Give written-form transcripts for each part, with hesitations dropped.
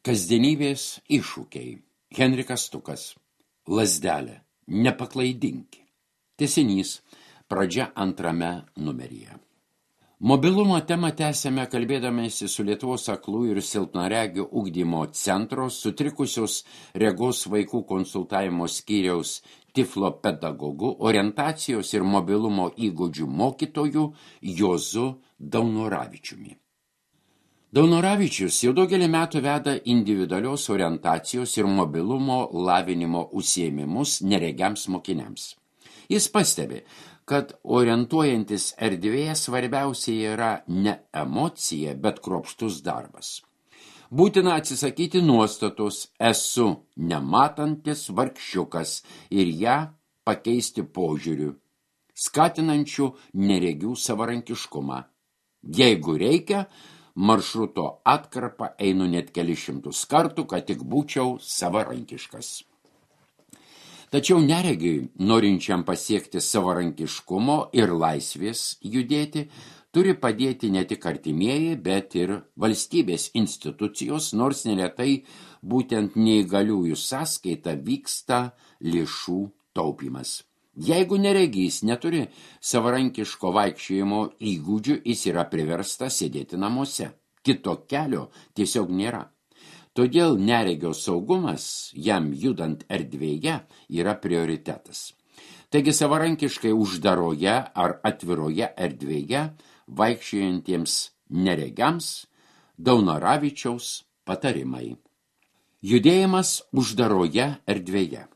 Kasdienybės iššūkiai. Henrikas Stukas. Lazdelė. Nepaklaidinki. Tęsinys. Pradžia antrame numeryje. Mobilumo temą tęsėme kalbėdamėsi su Lietuvos aklųjų ir silpnaregių ugdymo centro sutrikusios regos vaikų konsultavimo skyriaus Tiflo pedagogu, orientacijos ir mobilumo įgūdžių mokytoju Juozu Daunoravičiumi. Daunoravičius jau daugelį metų veda individualios orientacijos ir mobilumo lavinimo užsiėmimus neregiams mokiniams. Jis pastebi, kad orientuojantis erdvėje svarbiausia yra ne emocija, bet kruopštus darbas. Būtina atsisakyti nuostatos esu nematantis vargšiukas ir ją pakeisti požiūriu, skatinančių neregių savarankiškumą. Jeigu reikia, maršruto atkarpą einu net kelis šimtus kartų, kad tik būčiau savarankiškas. Tačiau neregiui, norinčiam pasiekti savarankiškumo ir laisvės judėti, turi padėti ne tik artimieji, bet ir valstybės institucijos, nors neretai būtent neįgaliųjų sąskaita vyksta lėšų taupimas. Jeigu neregys neturi savarankiško vaikščiojimo įgūdžių, jis yra priverstas sėdėti namuose. Kito kelio tiesiog nėra. Todėl neregio saugumas jam judant erdvėje yra prioritetas. Taigi savarankiškai uždaroje ar atviroje erdvėje vaikščiojantiems neregiams Daunoravičiaus patarimai. Judėjimas uždaroje erdvėje.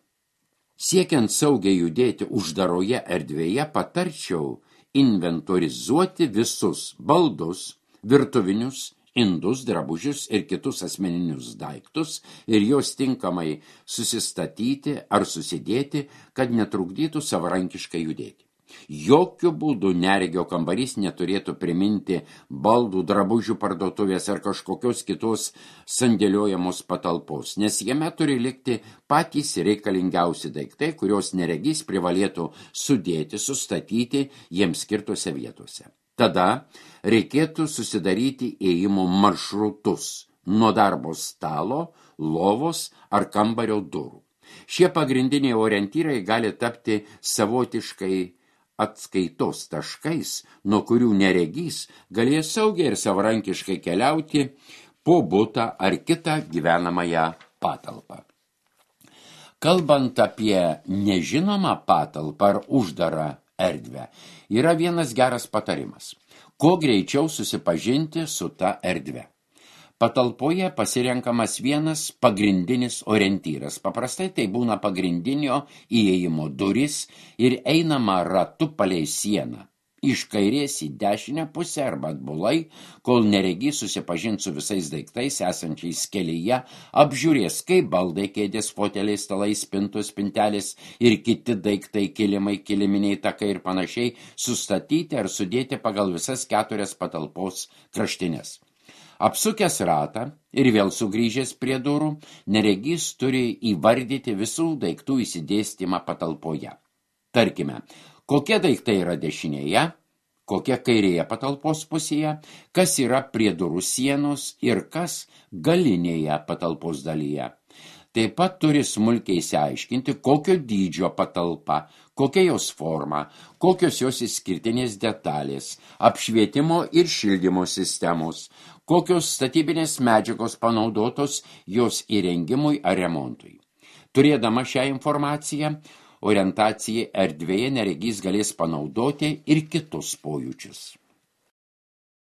Siekiant saugiai judėti uždaroje erdvėje, patarčiau inventorizuoti visus baldus, virtuvinius, indus, drabužius ir kitus asmeninius daiktus ir juos tinkamai susistatyti ar susidėti, kad netrukdytų savarankiškai judėti. Jokių būdų neregio kambarys neturėtų priminti baldų, drabužių parduotuvės ar kažkokios kitos sandėliojamos patalpos, nes jame turi likti patys reikalingiausi daiktai, kurios neregys privalėtų sudėti, sustatyti jiems skirtose vietose. Tada reikėtų susidaryti ėjimo maršrutus nuo darbo stalo, lovos ar kambario durų. Šie pagrindiniai orientyrai gali tapti savotiškai atskaitos taškais, nuo kurių neregys galės saugiai ir savarankiškai keliauti po butą ar kitą gyvenamąją patalpą. Kalbant apie nežinomą patalpą ar uždarą erdvę, yra vienas geras patarimas – kuo greičiau susipažinti su ta erdve. Patalpoje pasirenkamas vienas pagrindinis orientyras. Paprastai tai būna pagrindinio įėjimo duris ir einama ratu palei sieną. Iš kairės į dešinę pusę arba atbulai, kol neregys susipažins su visais daiktais esančiais kelyje, apžiūrės, kaip baldai, kėdės, foteliai, stalai, spintos, spintelės ir kiti daiktai, kilimai, kiliminiai takai ir panašiai sustatyti ar sudėti pagal visas 4 patalpos kraštinės. Apsukęs ratą ir vėl sugrįžęs prie durų, neregys turi įvardyti visų daiktų įsidėstymą patalpoje. Tarkime, kokie daiktai yra dešinėje, kokie kairėje patalpos pusėje, kas yra prie durų sienos ir kas galinėje patalpos dalyje. Taip pat turi smulkiai išsiaiškinti, kokio dydžio patalpa, kokia jos forma, kokios jos išskirtinės detalės, apšvietimo ir šildymo sistemos, kokios statybinės medžiagos panaudotos jos įrengimui ar remontui. Turėdama šią informaciją, orientacijai erdvėje neregys galės panaudoti ir kitus pojūčius.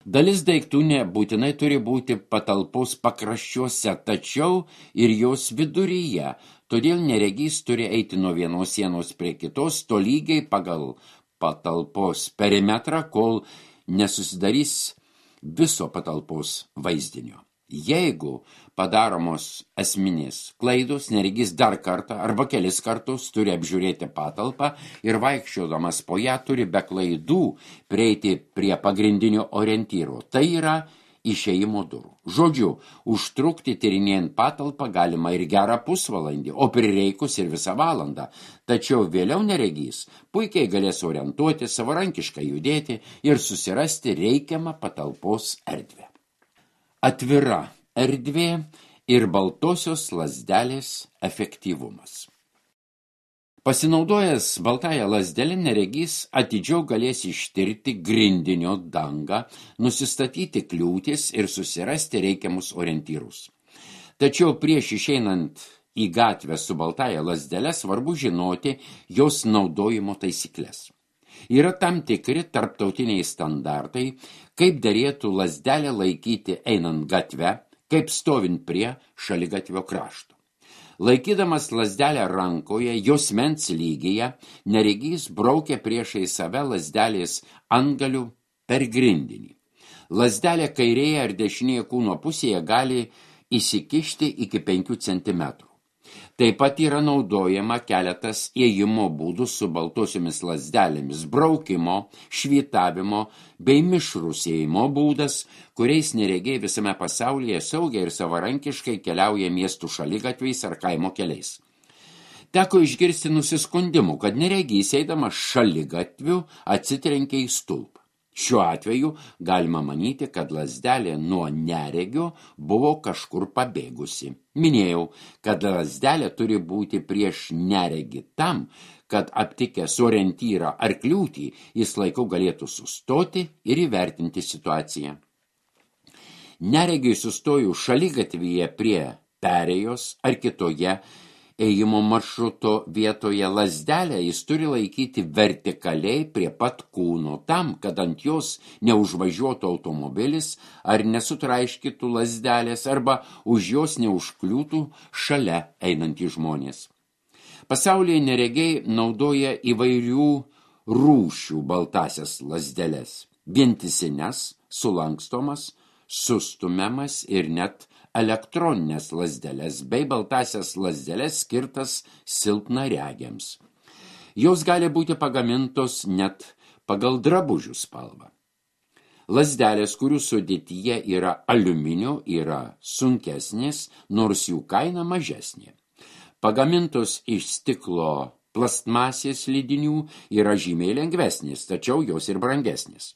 Dalis daiktų nebūtinai turi būti patalpos pakraščiuose, tačiau ir jos viduryje, todėl neregys turi eiti nuo vienos sienos prie kitos, tolygiai pagal patalpos perimetrą, kol nesusidarys viso patalpos vaizdinio. Jeigu padaromos esminės klaidos, neregys dar kartą arba kelis kartus turi apžiūrėti patalpą ir vaikščiodamas po ją turi be klaidų prieiti prie pagrindinio orientyro. Tai yra išėjimo durų. Žodžiu, užtrukti tyrinėjant patalpą galima ir gerą pusvalandį, o prireikus ir visą valandą. Tačiau vėliau neregys puikiai galės orientuoti, savarankiškai judėti ir susirasti reikiamą patalpos erdvę. Atvira erdvė ir baltosios lazdelės efektyvumas. Pasinaudojęs baltąją lazdelę neregys atidžiau galės ištirti grindinio dangą, nusistatyti kliūtis ir susirasti reikiamus orientyrus. Tačiau prieš išeinant į gatvę su baltąja lazdele svarbu žinoti jos naudojimo taisyklės. Yra tam tikri tarptautiniai standartai, kaip derėtų lazdelę laikyti einant gatve, kaip stovint prie šaligatvio krašto. Laikydamas lazdelę rankoje, jos mens lygyje, neregys braukia priešai save lazdelės antgalių per grindinį. Lazdelė kairėje ar dešinėje kūno pusėje gali įsikišti iki 5 cm. Taip pat yra naudojama keletas ėjimo būdų su baltosiomis lazdelėmis, braukimo, švytavimo bei mišrus ėjimo būdas, kuriais neregiai visame pasaulyje saugiai ir savarankiškai keliauja miestų šaligatviais ar kaimo keliais. Teko išgirsti nusiskundimų, kad neregys eidamas šaligatviu atsitrenkia į stulpą. Šiuo atveju galima manyti, kad lazdelė nuo neregio buvo kažkur pabėgusi. Minėjau, kad lazdelė turi būti prieš neregį tam, kad aptikęs orientyrą ar kliūtį, jis laiku galėtų sustoti ir įvertinti situaciją. Neregiui sustojus šaligatvyje prie perėjos ar kitoje ėjimo maršruto vietoje lazdelę jis turi laikyti vertikaliai prie pat kūno tam, kad ant jos neužvažiuotų automobilis ar nesutraiškytų lazdelės arba už jos neužkliūtų šalia einantys žmonės. Pasaulyje neregiai naudoja įvairių rūšių baltasias lazdeles, vientisines, sulankstomas, sustumiamas ir net elektroninės lazdeles bei baltasias lazdeles skirtas silpnaregiams. Jos gali būti pagamintos net pagal drabužių spalvą. Lazdelės, kurių sudėtyje yra aliuminio, yra sunkesnės, nors jų kaina mažesnė. Pagamintos iš stiklo plastmasės lydinių yra žymiai lengvesnės, tačiau jos ir brangesnės.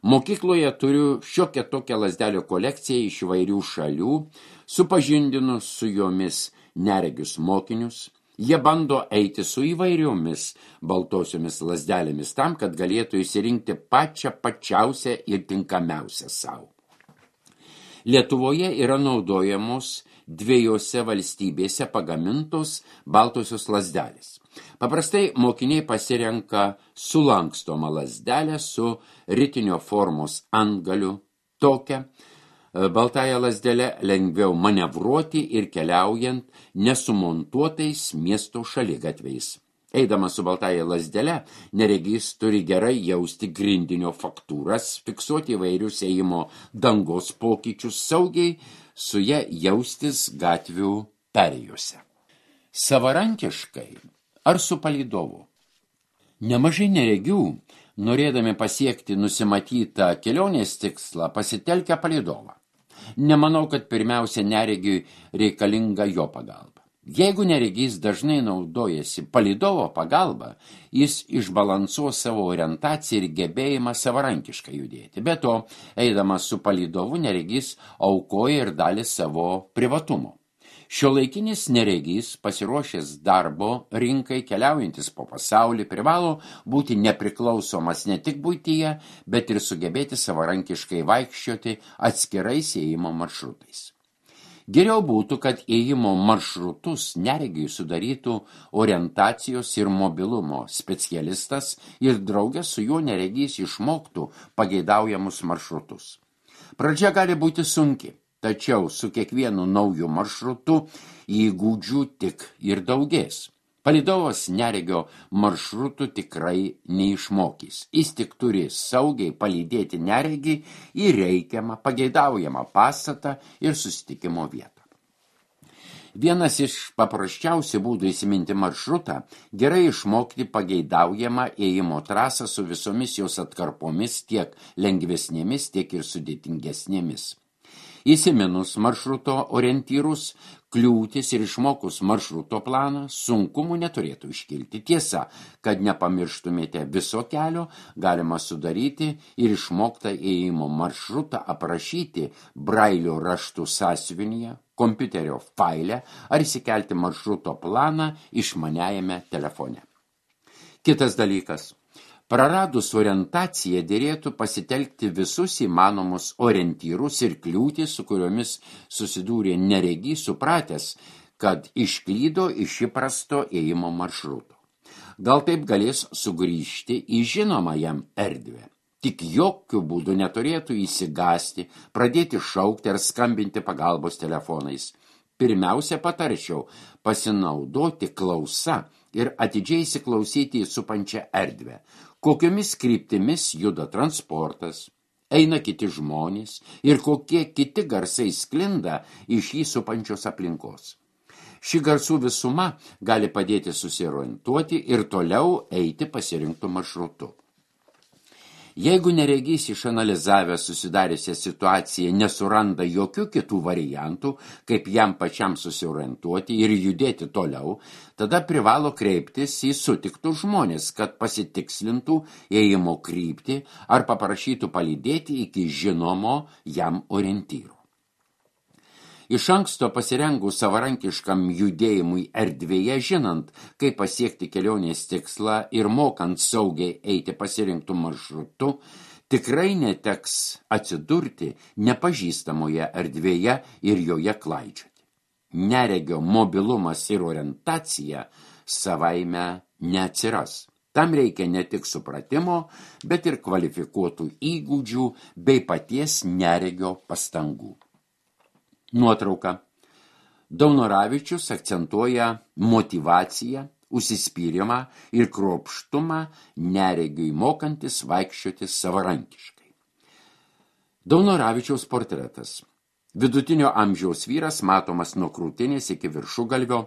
Mokykloje turiu šiokią tokią lazdelių kolekciją iš įvairių šalių, supažindinu su jomis neregius mokinius. Jie bando eiti su įvairiomis baltosiomis lazdelėmis tam, kad galėtų išsirinkti pačiausią ir tinkamiausią savo. Lietuvoje yra naudojamos 2 valstybėse pagamintos baltosios lazdelės. Paprastai mokiniai pasirenka sulankstomą lazdelę su ritinio formos antgaliu. Tokią baltąją lazdelę lengviau manevruoti ir keliaujant nesumontuotais miesto šaligatviais. Eidamas su baltąja lazdele, neregys turi gerai jausti grindinio faktūras, fiksuoti įvairius ėjimo dangos pokyčius, saugiai su ja jaustis gatvių perėjose. Savarankiškai ar su palydovu? Nemažai neregių, norėdami pasiekti nusimatytą kelionės tikslą, pasitelkia palydovą. Nemanau, kad pirmiausia neregiui reikalinga jo pagalba. Jeigu neregys dažnai naudojasi palydovo pagalba, jis išbalansuos savo orientaciją ir gebėjimą savarankiškai judėti. Be to, eidamas su palydovu, neregys aukoja ir dalį savo privatumo. Šiuolaikinis neregys, pasiruošęs darbo rinkai, keliaujantis po pasaulį, privalo būti nepriklausomas ne tik buityje, bet ir sugebėti savarankiškai vaikščioti atskirais ėjimo maršrutais. Geriau būtų, kad ėjimo maršrutus neregiui sudarytų orientacijos ir mobilumo specialistas ir drauge su juo neregys išmoktų pageidaujamus maršrutus. Pradžia gali būti sunki, tačiau su kiekvienu nauju maršrutu įgūdžių tik ir daugės. Palydovas neregio maršrutų tikrai neišmokys. Jis tik turi saugiai palydėti neregį į reikiamą, pageidaujamą pastatą ir susitikimo vietą. Vienas iš paprasčiausių būdų įsiminti maršrutą – gerai išmokti pageidaujamą ėjimo trasą su visomis jos atkarpomis, tiek lengvesnėmis, tiek ir sudėtingesnėmis. Įsiminus maršruto orientyrus, kliūtis ir išmokus maršruto planą, sunkumų neturėtų iškilti. Tiesa, kad nepamirštumėte viso kelio, galima sudaryti ir išmoktą ėjimo maršrutą aprašyti brailio raštų sąsiuvinyje, kompiuterio faile ar įsikelti maršruto planą išmaniajame telefone. Kitas dalykas. Praradus orientaciją dėrėtų pasitelkti visus įmanomus orientyrus ir kliūtis, su kuriomis susidūrė neregys, supratęs, kad išklydo iš įprasto ėjimo maršruto. Gal taip galės sugrįžti į žinomą jam erdvę. Tik jokių būdų neturėtų įsigasti, pradėti šaukti ar skambinti pagalbos telefonais. Pirmiausia, patarčiau pasinaudoti klausa ir atidžiai įsiklausyti į supančią erdvę. Kokiomis kryptimis juda transportas, eina kiti žmonės ir kokie kiti garsai sklinda iš jį supančios aplinkos. Ši garsų visuma gali padėti susiorientuoti ir toliau eiti pasirinktų maršrutu. Jeigu neregys išanalizavęs susidariusią situaciją nesuranda jokių kitų variantų, kaip jam pačiam susiorientuoti ir judėti toliau, tada privalo kreiptis į sutiktus žmonės, kad pasitikslintų ėjimo kryptį ar paprašytų palydėti iki žinomo jam orientyro. Iš anksto pasirengus savarankiškam judėjimui erdvėje, žinant, kaip pasiekti kelionės tikslą ir mokant saugiai eiti pasirinktų maršrutu, tikrai neteks atsidurti nepažįstamoje erdvėje ir joje klaidžioti. Neregio mobilumas ir orientacija savaime neatsiras. Tam reikia ne tik supratimo, bet ir kvalifikuotų įgūdžių bei paties neregio pastangų. Nuotrauka. Daunoravičius akcentuoja motyvaciją, užsispyrimą ir kruopštumą neregiui mokantis vaikščioti savarankiškai. Daunoravičiaus portretas. Vidutinio amžiaus vyras matomas nuo krūtinės iki viršugalvio,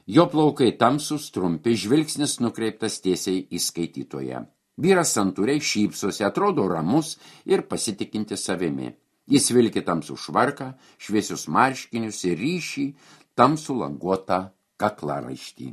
jo plaukai tamsūs, trumpi, žvilgsnis nukreiptas tiesiai į skaitytoją. Vyras santūriai šypsosi, atrodo ramus ir pasitikinti savimi. Jis vilki tamsų švarką, šviesius marškinius ir ryšį tamsų languotą kaklaraištį.